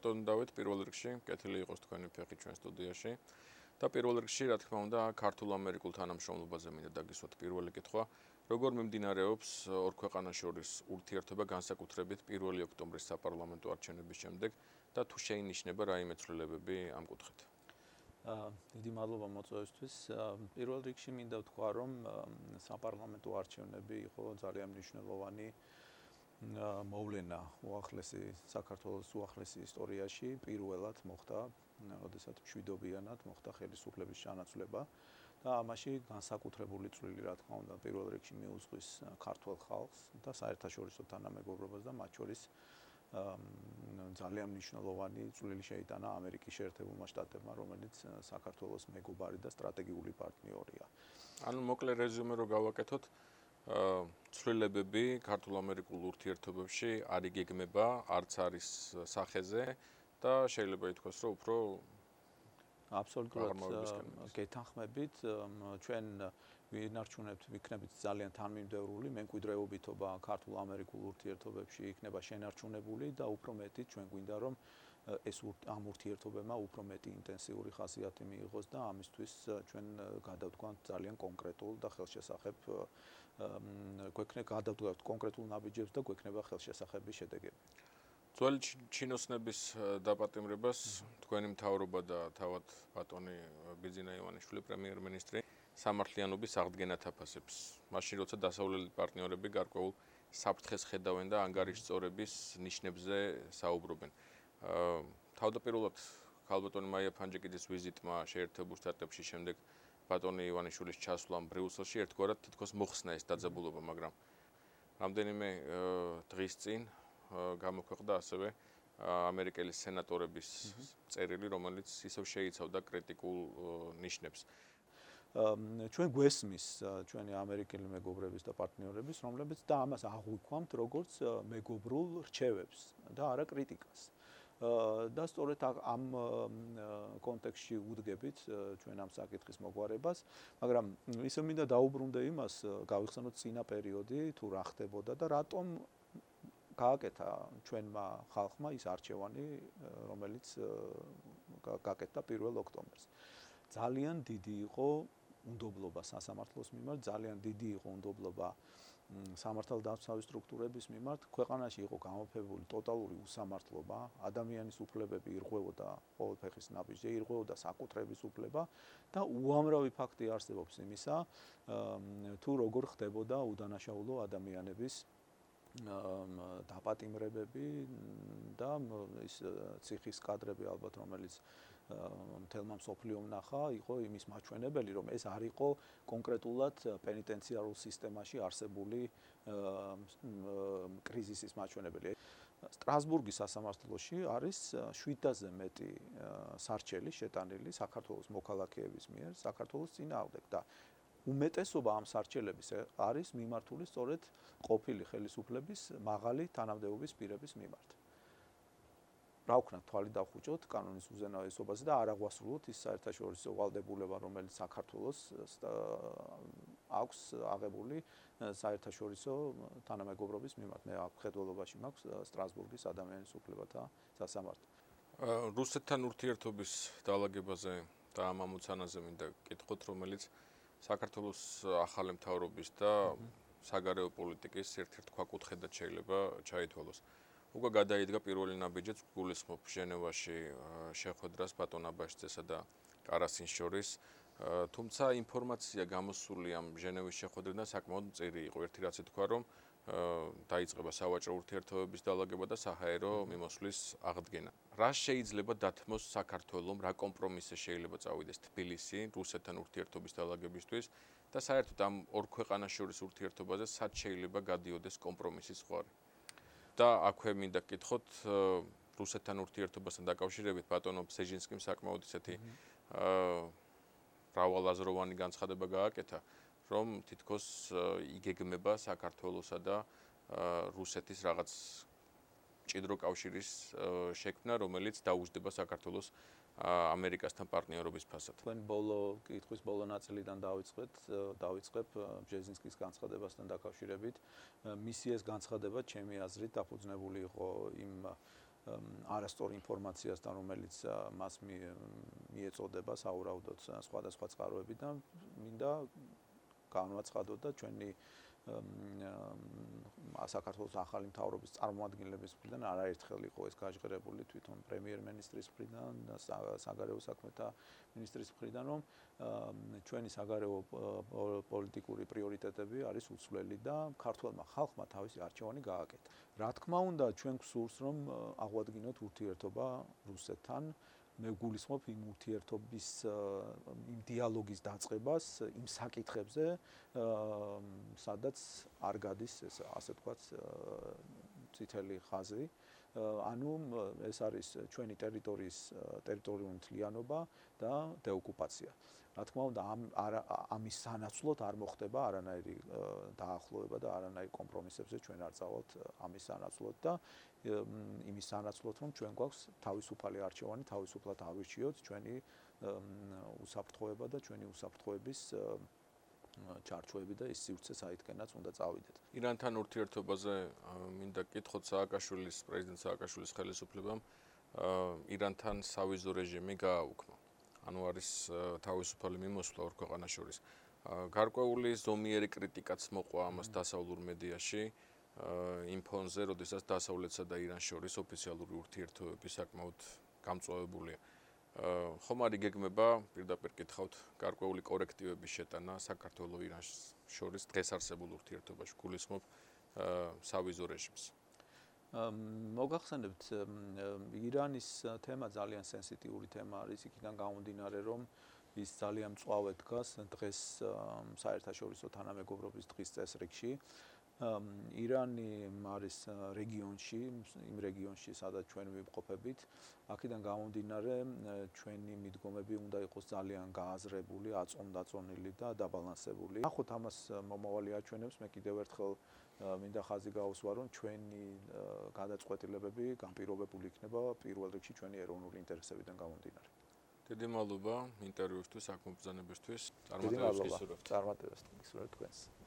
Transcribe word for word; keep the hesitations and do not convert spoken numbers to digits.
ბატონ დავით, პირველ რიგში კეთილი იყოს თქვენი ფეხი ჩვენ სტუდიაში. და პირველ რიგში, რა თქმა უნდა, ქართულ-ამერიკულ თანამშრომლობაზე მინდა დაგისვათ პირველი კითხვა. როგორ მიმდინარეობს ორ ქვეყანას შორის ურთიერთობა განსაკუთრებით პირველი ოქტომბრის საპარლამენტო არჩევნების შემდეგ და თუ შეინიშნება რაიმე ცვლილებები ამ კუთხით? დიდი მადლობა მოწვევისთვის. პირველ რიგში მინდა ვთქვა, რომ საპარლამენტო არჩევნები იყო ძალიან მნიშვნელოვანი მოვლენა უახლესი საქართველოს უახლესი ისტორიაში. პირველად მოხდა, როდესაც მშვიდობიანად მოხდა ხელისუფლების ჩანაცვლება და ამაში განსაკუთრებული წვლილი, რა თქმა უნდა, პირველ რიგში მიუძღვის ქართველ ხალხს და საერთაშორისო თანამეგობრობას და მათ შორის ძალიან მნიშვნელოვანი წვლილი შეიტანა ამერიკის შეერთებულმა შტატებმა, რომელიც საქართველოს მეგობარი და სტრატეგიული პარტნიორია. ანუ მოკლე რეზიუმე რო გავაკეთოთ, ცვლილებები ქართულ-ამერიკულ ურთიერთობებში არ იგეგმება, არც არის სახეზე და შეიძლება ითქვას, რომ უფრო აბსოლუტურად გეთანხმებით, ჩვენ ვინარჩუნებთ, ვიქნებით ძალიან თანმიმდევრული მემკვიდრეობითობა ქართულ-ამერიკულ ურთიერთობებში იქნება შენარჩუნებული და უფრო მეტი ჩვენ გვინდა რომ ეს ამ ურთიერთობებმა უფრო მეტი ინტენსიური ხასიათი მიიღოს და ამისთვის ჩვენ გადავდგანთ ძალიან კონკრეტულ და ხელშესახებ გვექნება გადავდგანთ კონკრეტულ ნაბიჯებს და გვექნება ხელშესახები შედეგები. ძველი ჩინოსნების დაპატიმრებას თქვენი მთავრობა და თავად ბატონი ბიძინა ივანიშვილი პრემიერ-მინისტრი სამართლიანობის აღდგენად აფასებს. მაშინ როცა დასავლელი პარტნიორები გარკვეულ საფრთხეს ხედავენ და ანგარიშწორების ნიშნებზე საუბრობენ. თავდაპირველად ქალბატონი მაია ფანჯიკიძის ვიზიტმა შეერთებულ შტატებში შემდეგ ბატონი ივანიშვილის ჩასვლამ ბრიუსელში ერთგვარად თითქოს მოხსნა ეს დაძაბულობა, მაგრამ რამდენიმე დღის წინ გამოქვეყნდა ასევე ამერიკელი სენატორების წერილი, რომელიც ისევ შეიცავდა კრიტიკულ ნიშნებს. ჩვენ გვესმის ჩვენი ამერიკელი მეგობრების და პარტნიორების, რომლებიც და ამას აღვიქვამთ როგორც მეგობრულ რჩევებს და არა კრიტიკას. და სწორედ ამ კონტექსტში უდგებით ჩვენ ამ საკითხის მოგვარებას, მაგრამ ისე მინდა დაუბრუნდე იმას, გავიხსენოთ წინა პერიოდი, თუ რა ხდებოდა და რატომ გააკეთა ჩვენმა ხალხმა ის არჩევანი, რომელიც გააკეთა პირველ ოქტომბერს. ძალიან დიდი იყო უნდობლობა სასამართლოს მიმართ, ძალიან დიდი იყო უნდობლობა სამართალდამცავი სტრუქტურების მიმართ. ქვეყანაში იყო გამოფებული ტოტალური უსამართლობა, ადამიანის უფლებები ირღვევოდა ყოველ ფეხის ნაბიჯზე, ირღვევოდა საკუთრების უფლება და უამრავი ფაქტი არსებობს იმისა, თუ როგორ ხდებოდა უდანაშაულო ადამიანების დაპატიმრებები და ის ციხის კადრები ალბათ, რომელიც მთელმა მსოფლიომ ნახა, იყო იმის მაჩვენებელი, რომ ეს არ იყო კონკრეტულად პენიტენციარულ სისტემაში არსებული კრიზისის მაჩვენებელი. სტრასბურგის სასამართლოში არის შვიდაზე მეტი სარჩელი შეტანილი საქართველოს მოქალაქეების მიერ საქართველოს წინააღმდეგ და უმეტესობა ამ სარჩელების არის მიმართული სწორედ ყოფილი ხელისუფლების მაღალი თანამდებობის პირების მიმართ. რა ვქნათ, თვალი დავხუჭოთ კანონის უზენაესობაზე და არ აღვასრულოთ ის საერთაშორისო ვალდებულება, რომელიც საქართველოს აქვს აღებული საერთაშორისო თანამეგობრობის მიმართ. მე ხედველობაში მაქვს სტრასბურგის ადამიანის უფლებათა სასამართლო. რუსეთთან ურთიერთობის დაალაგებაზე და ამ ამოცანაზე მინდა კითხოთ, რომელიც საქართველოს ახალი მთავრობის და საგარეო პოლიტიკის ერთ-ერთ ქვაკუთხედად შეიძლება ჩაითვალოს. უკვე გადაიდგა პირველი ნაბიჯიც გულისხმობ ჟენევაში შეხვედრას ბატონ აბაშიძესა და კარასის შორის, თუმცა ინფორმაცია გამოსული ამ ჟენევის შეხვედრიდან საკმაოდ მწირი იყო. ერთი რაც ითქვა, რომ დაიწყება სავაჭრო ურთიერთობების დაალაგება და საჰაერო მიმოსვლის აღდგენა. რა შეიძლება დათმოს საქართველომ, რა კომპრომისზე შეიძლება წავიდეს თბილისი რუსეთთან ურთიერთობის დაალაგებისთვის და საერთოდ ამ ორ ქვეყანას შორის ურთიერთობაზე სად შეიძლება გადიოდეს კომპრომისის ზღვარი. და აქვე მინდა გკითხოთ რუსეთთან ურთიერთობასთან დაკავშირებით ბატონო ბზეჟინსკიმ საკმაოდ ისეთი მრავალაზროვანი განცხადება გააკეთა, რომ თითქოს იგეგმება საქართველოსა და რუსეთის რაღაც მჭიდრო კავშირის შექმნა, რომელიც დაუჯდება საქართველოს ამერიკასთან პარტნიორობის ფასად. თქვენ ბოლო კითხვის ბოლო ნაწილიდან დავიწყეთ, დავიწყებ ბჟეზინსკის განცხადებასთან დაკავშირებით. მისი ეს განცხადება ჩემი აზრით დაფუძნებული იყო იმ არასწორ ინფორმაციასთან, რომელიც მას მიეწოდება საურავდოთ სხვადასხვა წყაროები და მინდა განვაცხადოთ და ჩვენი საქართველოს ახალი მთავრობის წარმომადგენლების მხრიდან არაერთხელ იყო ეს გაჟღერებული თვითონ პრემიერ-მინისტრის მხრიდან და საგარეო საქმეთა მინისტრის მხრიდან, რომ ჩვენი საგარეო პოლიტიკური პრიორიტეტები არის უცვლელი და ქართველმა ხალხმა თავისი არჩევანი გააკეთა. რა თქმა უნდა, ჩვენ გვსურს, რომ აღვადგინოთ ურთიერთობა რუსეთთან. მე გულისხმობ იმ ურთიერთობის იმ დიალოგის დაწყებას იმ საკითხებზე, სადაც არ გადის ეს ასე ვთქვათ წითელი ხაზი. ანუ ეს არის ჩვენი ტერიტორიის ტერიტორიული მთლიანობა და დეოკუპაცია. რა თქმა უნდა, ამ ამის სანაცვლოდ არ მოხდება არანაირი დაახლოება და არანაირი კომპრომისებზე ჩვენ არ წავალთ ამის სანაცვლოდ და იმის სანაცვლოდ, რომ ჩვენ გვაქვს თავისუფალი არჩევანი, თავისუფლად ავირჩიოთ ჩვენი უსაფრთხოება და ჩვენი უსაფრთხოების ჩარჩოები და ის სივრცე საითკენაც უნდა წავიდეთ. ირანთან ურთიერთობაზე მინდა კითხოთ სააკაშვილის პრეზიდენტ სააკაშვილის ხელისუფლებამ ირანთან სავიზო რეჟიმი გააუქმა. ანუ არის თავისუფალი მიმოსვლა ორ ქვეყანას შორის. გარკვეული ზომიერი კრიტიკაც მოყვა ამას დასავლურ მედიაში იმ ფონზე, როდესაც დასავლეთსა და ირანს შორის ოფიციალური ურთიერთობები საკმაოდ გამწვავებულია. ხომ არ იგეგმება, პირდაპირ კითხავთ, გარკვეული კორექტივების შეტანა საქართველოს ირანს შორის დღეს არსებულ ურთიერთობაში, გულისხმობ სავიზო რეჟიმს. მოგახსენებთ, ირანის თემა ძალიან სენსიტიური თემა არის, იქიდან გამომდინარე, რომ ის ძალიან მწვავე დგას დღეს საერთაშორისო თანამეგობრობის დღის წესრიგში. ირანი არის რეგიონში, იმ რეგიონში, სადაც ჩვენ ვიმყოფებით, აქედან გამომდინარე, ჩვენი მიდგომები უნდა იყოს ძალიან გააზრებული, აწონდაწონილი და დაბალანსებული. ნახოთ ამას მომავალი აჩვენებს, მე კიდევ ერთხელ მინდა ხაზი გაუსვა, რომ ჩვენი გადაწყვეტილებები განპირობებული იქნება პირველ რიგში ჩვენი ეროვნული ინტერესებიდან გამომდინარე. დიდი მადლობა ინტერვიუსთვის, აქ მომბრძანებისთვის. წარმატებებს გისურვებთ. წარმატებებს გისურვებთ თქვენს.